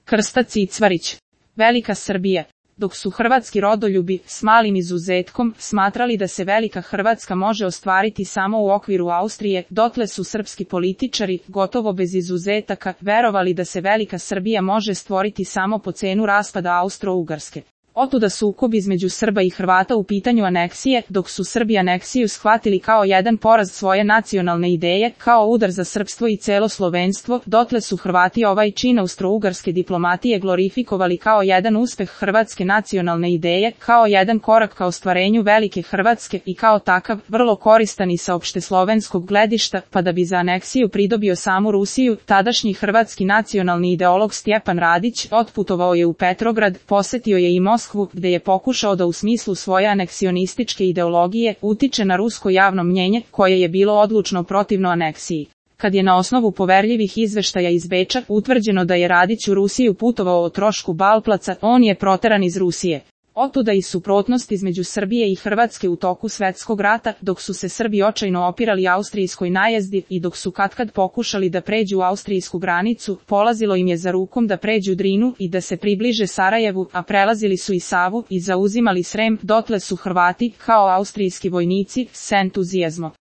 Krsta Cicvarić. Velika Srbija. Dok su hrvatski rodoljubi, s malim izuzetkom, smatrali da se velika Hrvatska može ostvariti samo u okviru Austrije, dotle su srpski političari, gotovo bez izuzetaka, verovali da se velika Srbija može stvoriti samo po cenu raspada Austro-Ugarske. Otuda sukob između Srba i Hrvata u pitanju aneksije, dok su Srbi aneksiju shvatili kao jedan poraz svoje nacionalne ideje, kao udar za srpstvo i celo slovenstvo, dotle su Hrvati ovaj čin austro-ugarske diplomatije glorifikovali kao jedan uspeh hrvatske nacionalne ideje, kao jedan korak ka ostvarenju velike Hrvatske i kao takav, vrlo koristan i sa opšteslovenskog gledišta, pa da bi za aneksiju pridobio samu Rusiju, tadašnji hrvatski nacionalni ideolog Stjepan Radić otputovao je u Petrograd, posetio je i Moskvu, gde je pokušao da u smislu svoje aneksionističke ideologije utiče na rusko javno mnjenje, koje je bilo odlučno protivno aneksiji. Kad je na osnovu poverljivih izveštaja iz Beča utvrđeno da je Radić u Rusiju putovao o trošku Balplaca, on je proteran iz Rusije. Otuda i suprotnost između Srbije i Hrvatske u toku svetskog rata, dok su se Srbi očajno opirali austrijskoj najezdi i dok su katkad pokušali da pređu austrijsku granicu, polazilo im je za rukom da pređu Drinu i da se približe Sarajevu, a prelazili su i Savu i zauzimali Srem, dotle su Hrvati, kao austrijski vojnici, s entuzijazmom